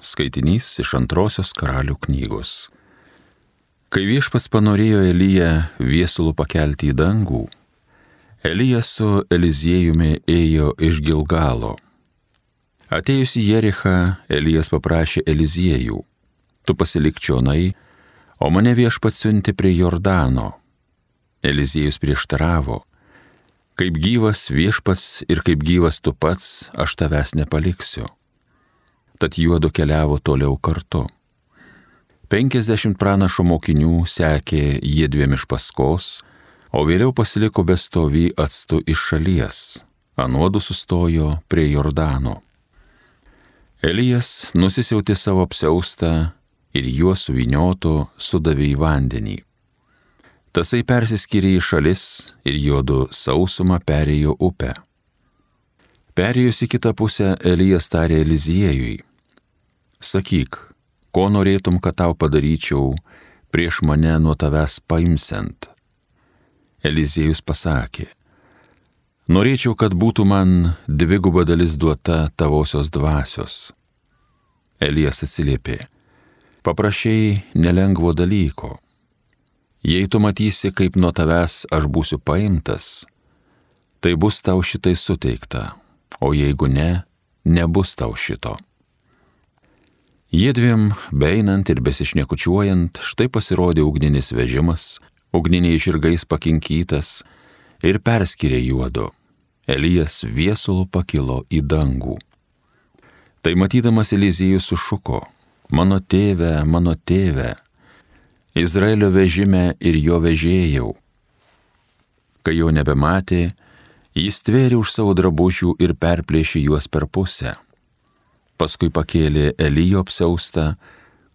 Skaitinys iš 2 Karalių knygos. Kai Viešpats panorėjo Eliją viesulų pakelti į dangų, Elijas su Eliziejumi ėjo iš Gilgalo. Atėjus į Jerichą, Elijas paprašė Eliziejų: tu pasilik čionai, o mane Viešpats siunti prie Jordano. Eliziejus prieštaravo: kaip gyvas Viešpats ir kaip gyvas tu pats, aš tavęs nepaliksiu. Tad juodu keliavo toliau kartu. 50 pranašo mokinių sekė jiedviem iš paskos, o vėliau pasiliko bestovį atstu iš šalies. Anuodu sustojo prie Jordano. Elijas nusisiautė savo apsiaustą ir juo suvyniotu sudavė į vandenį. Tasai persiskyrė į šalis ir juodu sausumą perėjo upę. Perėjus į kitą pusę, Elijas tarė Eliziejui: sakyk, ko norėtum, kad tau padaryčiau prieš mane nuo tavęs paimsiant? Eliziejus pasakė: norėčiau, kad būtų man 2 dalis duota tavosios dvasios. Elijas atsiliepė: paprašei nelengvo dalyko. Jei tu matysi, kaip nuo tavęs aš būsiu paimtas, tai bus tau šitai suteikta, o jeigu ne, nebus tau šito. Jiedviem beinant ir besišnekučiuojant, štai pasirodė ugninis vežimas, ugniniais žirgais pakinkytas, ir perskyrė juodu. Elijas viesulu pakilo į dangų. Tai matydamas Eliziejus sušuko: mano tėve, Izraelio vežime ir jo vežėjau. Kai jo nebematė, jis tvėrė už savo drabužių ir perplėšė juos per pusę. Paskui pakėlė Elijo apsiaustą,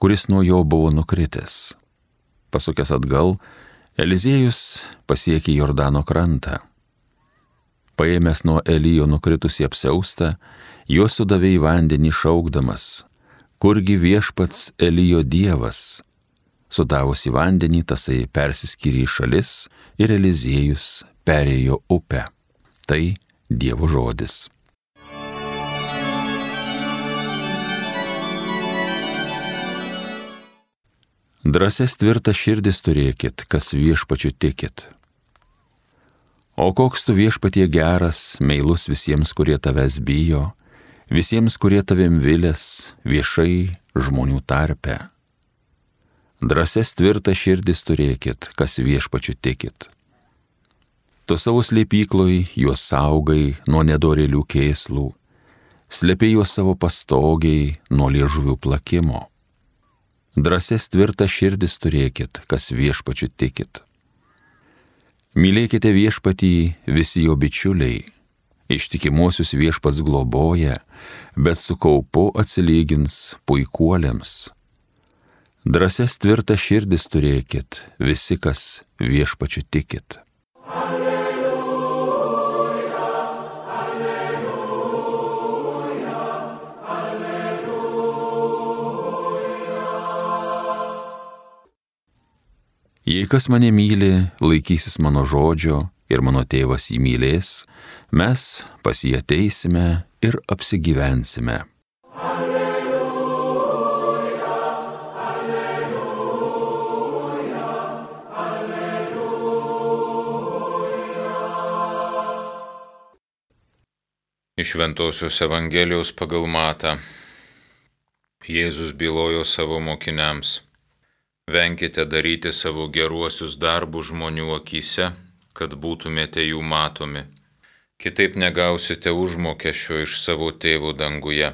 kuris nuo jo buvo nukritęs. Pasukęs atgal, Eliziejus pasiekė Jordano krantą. Paėmęs nuo Elijo nukritusi apsiaustą, juos sudavė į vandenį šaukdamas: kurgi Viešpats Elijo Dievas? Sudavus į vandenį, tasai persiskyrė į šalis ir Eliziejus perėjo upę. Tai Dievo žodis. Drąsias tvirtas širdis turėkit, kas Viešpačiu tikit. O koks tu, Viešpatie, geras, meilus visiems, kurie tavęs bijo, visiems, kurie tavim vilės, viešai žmonių tarpe. Drąsias tvirtas širdis turėkit, kas Viešpačiu tikit. Tu savo slėpykloj juos saugai nuo nedorėlių kėslų, slėpė juos savo pastogiai nuo liežuvių plakimo. Drąsias tvirtas širdis turėkit, kas Viešpačiu tikit. Mylėkite Viešpatį visi jo bičiuliai, ištikimuosius Viešpats globoja, bet su kaupu atsilygins puikuoliams. Drąsias tvirtas širdis turėkit visi, kas Viešpačiu tikit. Jei kas mane myli, laikysis mano žodžio ir mano tėvas jį mylės, mes pas jį ateisime ir apsigyvensime. Alleluja, alleluja, alleluja. Iš Šventosios Evangelijos pagal Matą. Jėzus bylojo savo mokiniams: venkite daryti savo geruosius darbus žmonių akyse, kad būtumėte jų matomi. Kitaip negausite užmokesčio iš savo tėvo danguje.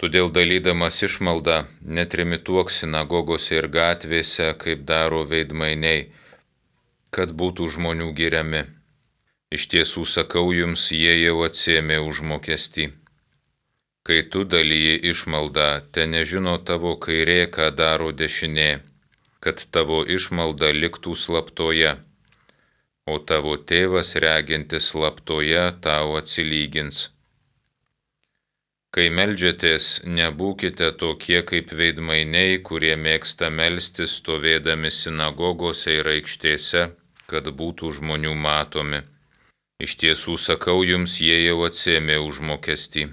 Todėl dalydamas išmaldą netrimituok sinagogose ir gatvėse, kaip daro veidmainiai, kad būtų žmonių giriami. Iš tiesų sakau jums, jie jau atsiėmė užmokestį. Kai tu dalyji išmaldą, te nežino tavo kairė, ką daro dešinė, kad tavo išmalda liktų slaptoje, o tavo tėvas regintis slaptoje tau atsilygins. Kai meldžiatės, nebūkite tokie kaip veidmainiai, kurie mėgsta melstis stovėdami sinagogose ir aikštėse, kad būtų žmonių matomi. Iš tiesų sakau jums, jie jau atsiėmė užmokestį.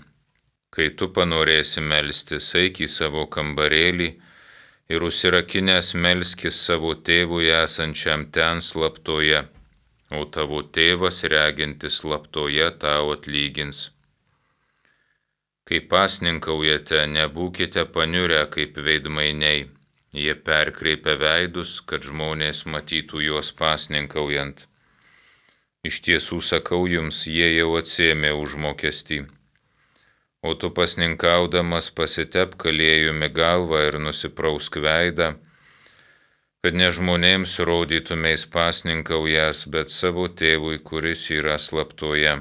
Kai tu panorėsi melstis, eik į savo kambarėlį ir užsirakinęs melskis savo tėvui esančiam ten slaptoje, o tavo tėvas regintis slaptoje tau atlygins. Kai pasninkaujate, nebūkite paniurę kaip veidmainiai, jie perkreipia veidus, kad žmonės matytų juos pasninkaujant. Iš tiesų sakau jums, jie jau atsėmė užmokestį. O tu pasninkaudamas pasitepk aliejumi galvą ir nusiprausk veidą, kad ne žmonėms rodytumeis pasninkaujas, bet savo tėvui, kuris yra slaptoje.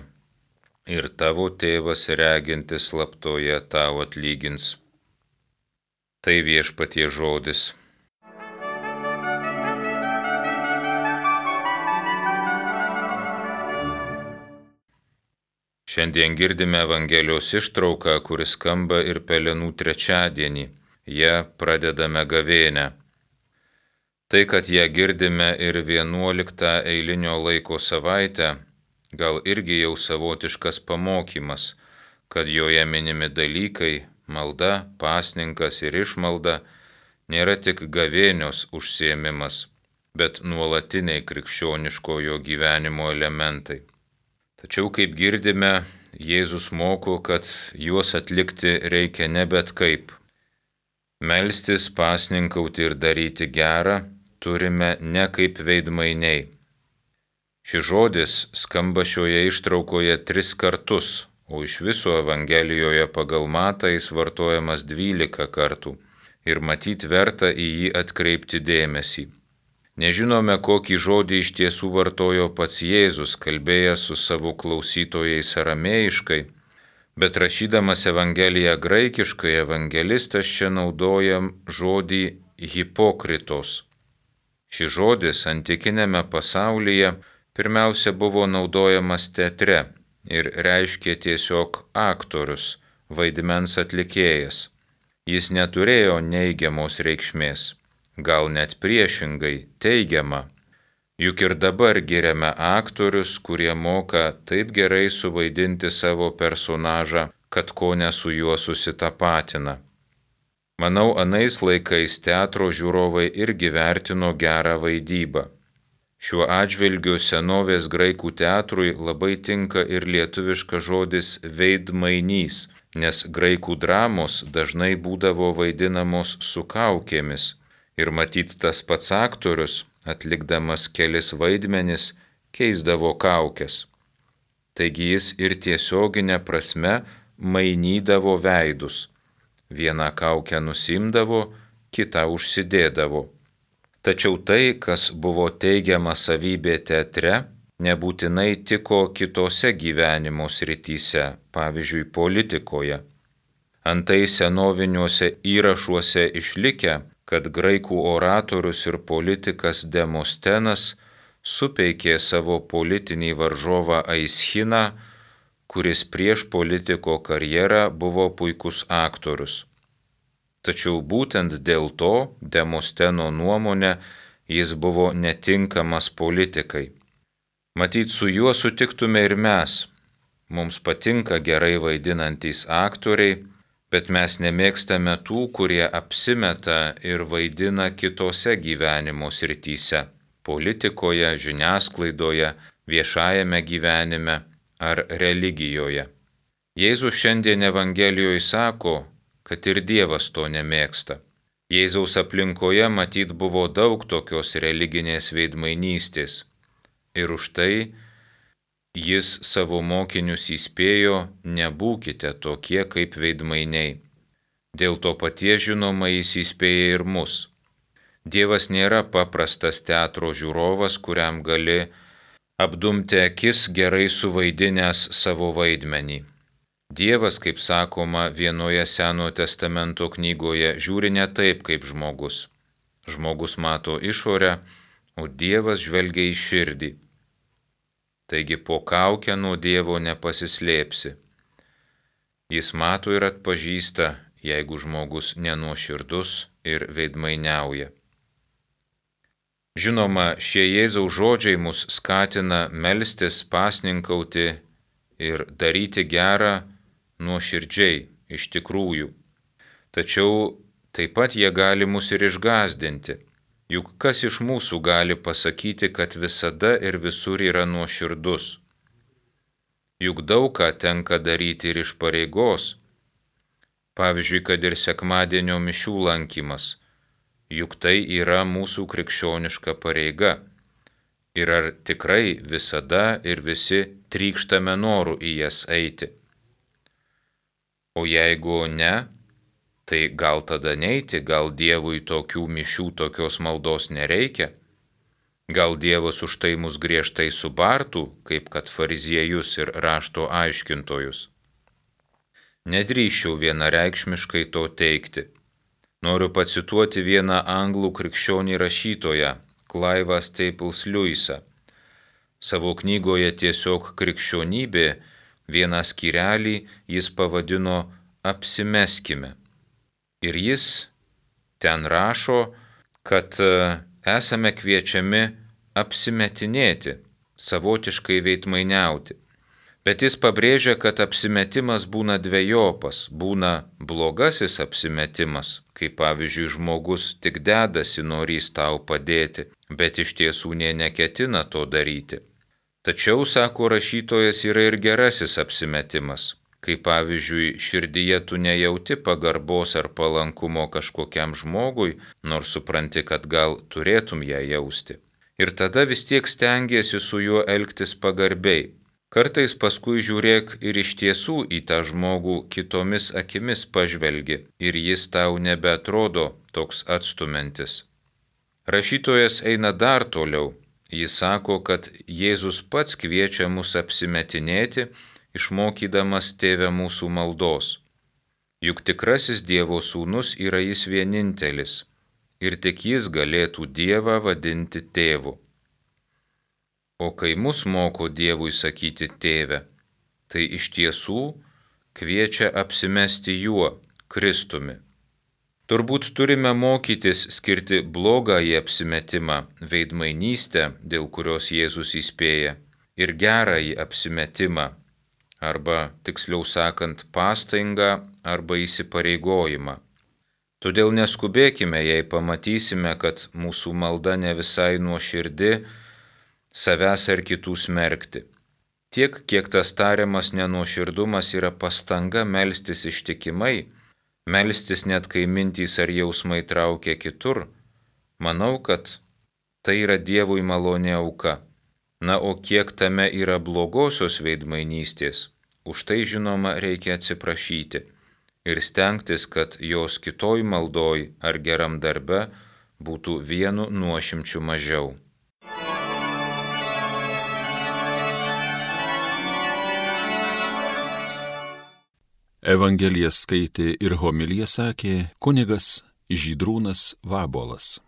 Ir tavo tėvas regintis slaptoje tau atlygins. Tai Viešpaties žodis. Šiandien girdime Evangelijos ištrauką, kuris skamba ir Pelenų trečiadienį. Ja pradedame gavėnią. Tai, kad ją girdime ir 11 eilinio laiko savaitę, gal irgi jau savotiškas pamokymas, kad joje minimi dalykai, malda, pasninkas ir išmalda nėra tik gavėnios užsiėmimas, bet nuolatiniai krikščioniškojo gyvenimo elementai. Tačiau, kaip girdime, Jėzus moko, kad juos atlikti reikia ne bet kaip. Melstis, pasninkauti ir daryti gerą turime ne kaip veidmainiai. Šis žodis skamba šioje ištraukoje 3 kartus, o iš viso Evangelijoje pagal Matą jis vartojamas 12 kartų ir matyt verta į jį atkreipti dėmesį. Nežinome, kokį žodį iš tiesų vartojo pats Jėzus, kalbėjęs su savo klausytojais aramėjiškai, bet rašydamas Evangeliją graikiškai, evangelistas čia naudoja žodį hipokritos. Šis žodis antikinėme pasaulyje pirmiausia buvo naudojamas teatre ir reiškė tiesiog aktorius, vaidmens atlikėjas. Jis neturėjo neigiamos reikšmės. Gal net priešingai, teigiama. Juk ir dabar giriame aktorius, kurie moka taip gerai suvaidinti savo personažą, kad kone su juo susitapatina. Manau, anais laikais teatro žiūrovai irgi vertino gerą vaidybą. Šiuo atžvilgiu senovės graikų teatrui labai tinka ir lietuviškas žodis veidmainys, nes graikų dramos dažnai būdavo vaidinamos su kaukėmis. Ir matyt tas pats aktorius, atlikdamas kelis vaidmenis, keisdavo kaukes. Taigi jis ir tiesioginė prasme mainydavo veidus. Vieną kaukę nusimdavo, kitą užsidėdavo. Tačiau tai, kas buvo teigiama savybė teatre, nebūtinai tiko kitose gyvenimo srityse, pavyzdžiui, politikoje. Antai senoviniuose įrašuose išlikę, kad graikų oratorius ir politikas Demostenas supeikė savo politinį varžovą Aischiną, kuris prieš politiko karjerą buvo puikus aktorius. Tačiau būtent dėl to, Demosteno nuomonė, jis buvo netinkamas politikai. Matyt, su juo sutiktume ir mes. Mums patinka gerai vaidinantys aktoriai, bet mes nemėgstame tų, kurie apsimeta ir vaidina kitose gyvenimo srityse – politikoje, žiniasklaidoje, viešajame gyvenime ar religijoje. Jėzus šiandien Evangelijoje sako, kad ir Dievas to nemėgsta. Jėzaus aplinkoje matyt buvo daug tokios religinės veidmainystės ir už tai jis savo mokinius įspėjo, nebūkite tokie kaip veidmainiai. Dėl to paties žinoma jis įspėja ir mus. Dievas nėra paprastas teatro žiūrovas, kuriam gali apdumti akis gerai suvaidinęs savo vaidmenį. Dievas, kaip sakoma vienoje Senojo testamento knygoje, žiūri ne taip kaip žmogus. Žmogus mato išorę, o Dievas žvelgia į širdį. Taigi po kaukę nuo Dievo nepasislėpsi. Jis mato ir atpažįsta, jeigu žmogus nenuoširdus ir veidmainiauja. Žinoma, šie Jėzaus žodžiai mus skatina melstis, pasninkauti ir daryti gerą nuoširdžiai, iš tikrųjų. Tačiau taip pat jie gali mus ir išgąsdinti. Juk kas iš mūsų gali pasakyti, kad visada ir visur yra nuoširdus? Juk daug ką tenka daryti ir iš pareigos. Pavyzdžiui, kad ir sekmadienio mišių lankymas. Juk tai yra mūsų krikščioniška pareiga. Ir ar tikrai visada ir visi trykštame noru į jas eiti? O jeigu ne, tai gal tada neiti, gal Dievui tokių mišių, tokios maldos nereikia? Gal Dievas už tai mus griežtai subartų, kaip kad fariziejus ir rašto aiškintojus? Nedrįsčiau vienareikšmiškai to teigti. Noriu pacituoti vieną anglų krikščionį rašytoją, Clivą Staples Lewisą. Savo knygoje Tiesiog krikščionybė vieną skyrelį jis pavadino Apsimeskime. Ir jis ten rašo, kad esame kviečiami apsimetinėti, savotiškai veidmainiauti. Bet jis pabrėžia, kad apsimetimas būna dvejopas, būna blogasis apsimetimas, kai pavyzdžiui žmogus tik dedasi norys tau padėti, bet iš tiesų nė neketina to daryti. Tačiau, sako rašytojas, yra ir gerasis apsimetimas, kai pavyzdžiui širdyje tu nejauti pagarbos ar palankumo kažkokiam žmogui, nors supranti, kad gal turėtum ją jausti. Ir tada vis tiek stengiesi su juo elgtis pagarbiai. Kartais paskui žiūrėk ir iš tiesų į tą žmogų kitomis akimis pažvelgi ir jis tau nebeatrodo toks atstumiantis. Rašytojas eina dar toliau. Jis sako, kad Jėzus pats kviečia mus apsimetinėti, išmokydamas Tėve mūsų maldos. Juk tikrasis Dievo sūnus yra jis vienintelis ir tik jis galėtų Dievą vadinti tėvu. O kai mus moko Dievui sakyti tėve, tai iš tiesų kviečia apsimesti juo, Kristumi. Turbūt turime mokytis skirti blogąjį apsimetimą, veidmainystę, dėl kurios Jėzus įspėja, ir gerąjį apsimetimą, arba, tiksliau sakant, pastangą arba įsipareigojimą. Todėl neskubėkime, jei pamatysime, kad mūsų malda ne visai nuoširdi, savęs ar kitų smerkti. Tiek, kiek tas tariamas nenuoširdumas yra pastanga melstis ištikimai, melstis net kai mintys ar jausmai traukia kitur, manau, kad tai yra Dievui malonė auka. Na, o kiek tame yra blogosios veidmainystės, už tai žinoma reikia atsiprašyti ir stengtis, kad jos kitoj maldoj ar geram darbe būtų vienu nuošimčiu mažiau. Evangeliją skaitė ir homiliją sakė kunigas Žydrūnas Vabolas.